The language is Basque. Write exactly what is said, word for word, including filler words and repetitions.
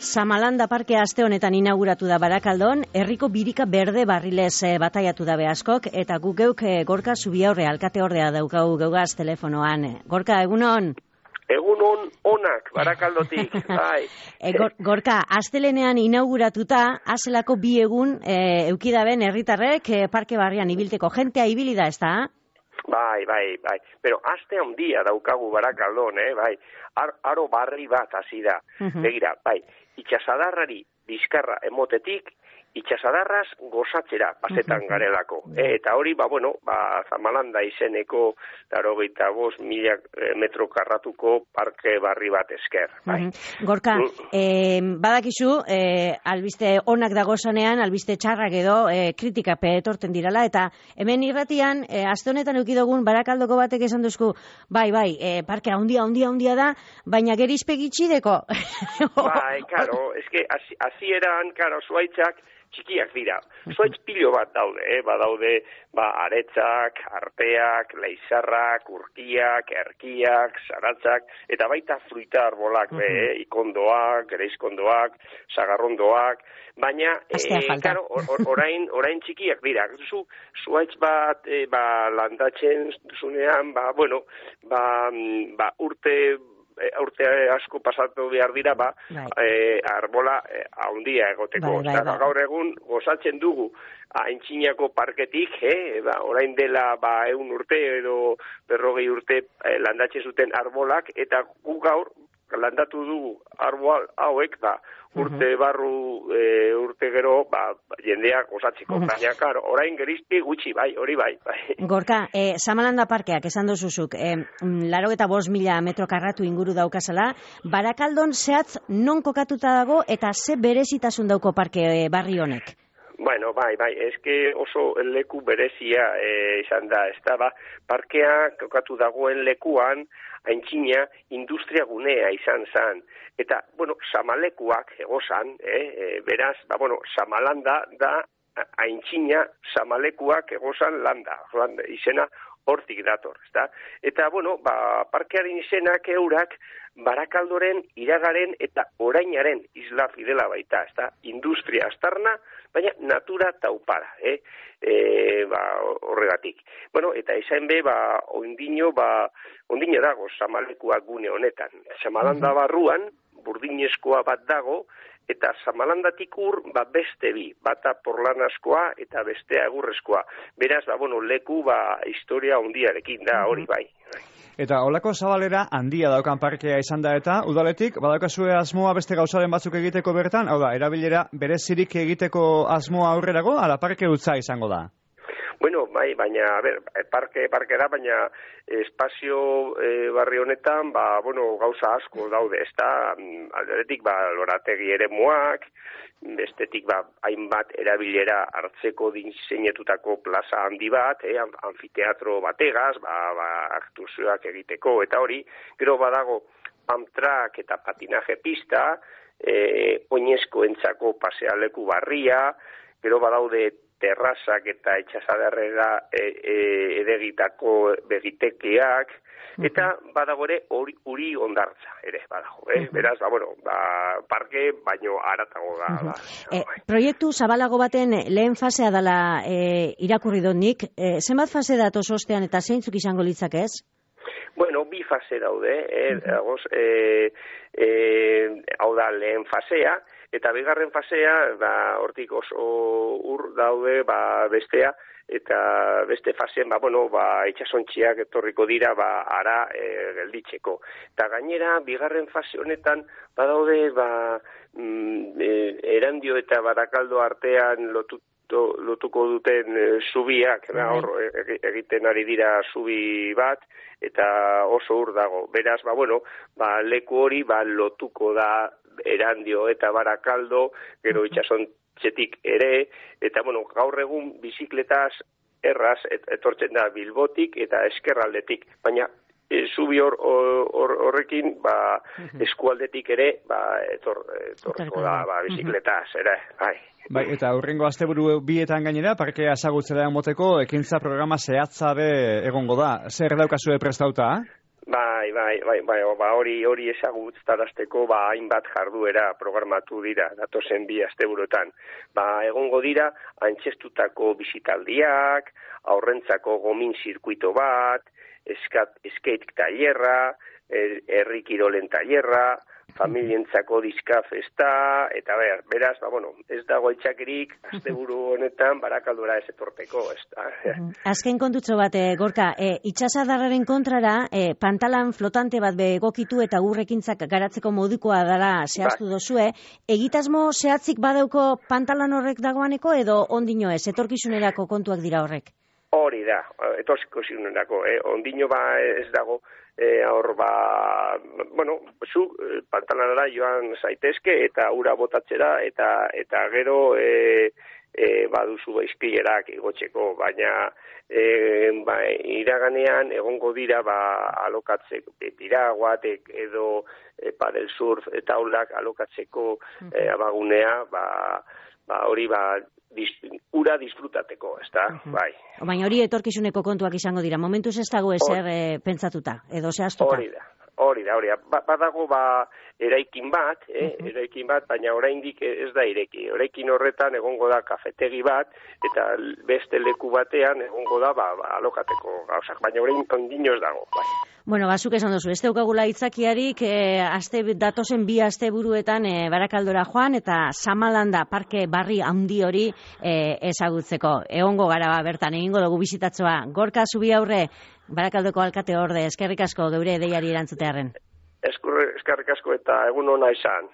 Samalanda parkea aste honetan inauguratu da Barakaldon, herriko birika berde barrilez e, bataiatu da askok, eta guk geuk e, Gorka Zubiaurre, alkate ordea daukagu geugaz telefonoan. Gorka, egunon? Egunon onak, Barakaldotik, bai. E, gor, Gorka, astelenean inauguratuta, azelako bi egun e, eukidaben herritarrek e, parke barrian ibilteko jentea ibili da, ez da? Bai, bai, bai. Pero aste handia daukagu Barakaldon, eh, bai. Ar, aro barri bat hasi da. Uh-huh. Begira, bai. Itxasadarrari bizkarra emotetik, itxasadarraz gozatzera pasetan uh-huh. garelako. Uh-huh. E, eta hori, ba, bueno, ba, Zamalanda izeneko laurogeita bost mila metro karratuko parke barri bat esker. Bai. Uh-huh. Gorka, uh-huh. eh, badakizu, eh, albiste onak dagozanean, albiste txarrak edo eh, kritikape etorten dirala, eta hemen irratian, eh, aste honetan eukidogun Barakaldoko batek esan duzku, bai, bai, eh, parke handia, handia, handia da, baina gerizpegitxideko. Bai, karo, eske, hasieran, karo, zuaitzak, txikiak dira. Zuaitz pilo bat daude, eh? Ba daude, ba, aretzak, arteak, leizarrak, urkiak, erkiak, zaratzak, eta baita fruita arbolak, uh-huh. be, eh? Ikondoak, gereizkondoak, sagarrondoak, baina, eh, claro, or, orain, orain txikiak dira. Zu, zuaitz bat, eh, ba, landatzen zunean, ba, bueno, ba, ba urte, urte asko pasatu behar dira, ba, eh, arbola eh, handia egoteko. Bai, bai, bai. Gaur egun gozatzen dugu Aintzinako parketik, eh, ba, orain dela ba, eun urte edo berrogei urte eh, landatzen zuten arbolak, eta gu gaur landatu dugu arbol hauek, ba, urte barru, e, urte gero, ba, jendeak osatzeko. Uh-huh. Baina, karo, orain gerizti gutxi, bai, hori bai. bai. Gorka, e, Samalanda parkeak, esan duzuzuk, e, laro eta bost mila metro karratu inguru daukazala, Barakaldon zehatz non kokatuta dago eta ze berezitasun dauko parke e, barri honek? Bueno, bai, bai, eske oso leku berezia e, izan da, ez da, ba, parkea kokatu dagoen lekuan, aintzina industria gunea izan zan. Eta, bueno, Samalekuak egozan, eh, e, beraz, ba, bueno, Samalanda da aintzina Samalekuak egozan landa, landa izena hortik dator, ezta? Eta, bueno, ba, parkearen izenak eurak Barakaldoren, iragaren eta orainaren isla fidela baita, ezta? Industria astarna, baina natura taupara, eh? E, ba, horregatik. Bueno, eta izan be, ba, ondino, ba, ondino dago Samalekuak gune honetan. Samalanda barruan, burdinezkoa bat dago, eta Samalandatik ur, ba, beste bi, bata porlanazkoa eta bestea egurrezkoa. Beraz, ba, bueno, leku, ba, historia ondiarekin da, hori bai. Eta holako zabalera handia daukan parkea izan da eta udaletik, badaukazue asmoa beste gauzaren batzuk egiteko bertan, hau da, erabilera berezirik egiteko asmoa aurrerago, ala parke utza izango da? Bueno, bai, baina, a ber, parke, parke da, baina espazio e, barri honetan, ba, bueno, gauza asko daude, ez da, alderetik, ba, lorategi ere muak, bestetik, ba, hainbat erabilera hartzeko diseinatutako plaza handi bat, eh, anfiteatro bategaz, ba, ba, aktuazioak egiteko, eta hori, gero badago amtrak eta patinaje pista, e, oinezkoentzako pasealeku barria, gero badaude terrazak eta itxasadarrera e, e, edegitako begitekeak, eta badago ere uri, uri ondartza ere badago, eh? Beraz, ba, bueno, ba, parke baino aratago da. da. E, proiektu zabalago baten lehen fasea dela e, irakurri dut nik, e, zenbat fase datoz ostean eta zeintzuk izango litzak ez? Bueno, bi fase daude, eh? Dagoz, e, e, hau da lehen fasea, eta bigarren fasea, ba, hortik oso ur daude, ba, bestea, eta beste fasean, ba, bueno, ba, itxasontziak etorriko dira, ba, ara e, gelditzeko. Eta gainera, bigarren fase honetan, badaude, ba, mm, e, Erandio eta Barakaldo artean lotu, to, lotuko duten e, zubiak, da, hor, e, egiten ari dira zubi bat, eta oso ur dago. Beraz, ba, bueno, ba, leku hori, ba, lotuko da Erandio eta Barakaldo, gero itxasontzetik ere, eta, bueno, gaur egun bizikletaz erraz et, etortzen da Bilbotik eta eskerraldetik, baina e, zubi hor, hor, horrekin, ba, eskualdetik ere, ba, etor, etorko da, ba, bizikletaz, ere, bai. Bai, eta hurrengo asteburu bietan gainera, parkea ezagutzera moteko ekintza programa zehatza be egongo da. Zer daukazue prestauta? Bai, bai, bai, bai, ba, hori hori ezagutarazteko ba hainbat jarduera programatu dira datozen bi asteburuetan. Ba, egongo dira antzestutako bisitaldiak, aurrentzako gomin zirkuito bat, eskat, skate tailerra, herri kirolen tailerra, familientzako diska festa, eta ber, beraz, ba, bueno, ez dago itxakerik, asteburu honetan, Barakaldora ez etorteko, ez da. Azken kontutxo bat, e, Gorka, e, itxasadarraren kontrara, e, pantalan flotante bat begokitu eta urrekintzak garatzeko modukoa dela zehaztu ba. Dozue, egitasmo zehatzik badauko pantalan horrek dagoaneko, edo ondino ez, etorkizunerako kontuak dira horrek? Hori da, etorkizunerako, eh? Ondino ba ez dago, E, hor ba, bueno, zu pantalanara joan zaitezke eta ura botatzera eta eta gero e, e, baduzu izpilerak igotzeko, baina e, ba, iraganean egongo dira ba, alokatzeko piraguatek edo e, padel surf eta taulak alokatzeko e, abagunea, ba, ba, hori ba, Dis, ura disfrutateko, ez da, uh-huh. bai. Baina hori etorkizuneko kontuak izango dira, momentuz ez dago ezer e, pentsatuta, edo zehaztuta. Hori da, hori da, hori da. Ba, badago ba, eraikin bat, eh, uh-huh. eraikin bat, baina oraindik ez da ireki. Eraikin horretan egongo da kafetegi bat, eta beste leku batean egongo da ba, ba, alokateko gauzak, baina orain ondino ez dago, bai. Bueno, bazuk esan duzu, ez daukagula itzakiarik, e, aste, datozen bi aste buruetan e, Barakaldora joan, eta Samalanda parke barri handi hori e, ezagutzeko. Egongo gara ba, bertan, egingo dugu bizitatzoa. Gorka Zubi aurre, Barakaldoko alkate orde, eskerrik asko geure deiari erantzutearen. Eskerrik asko eta egun ona izan.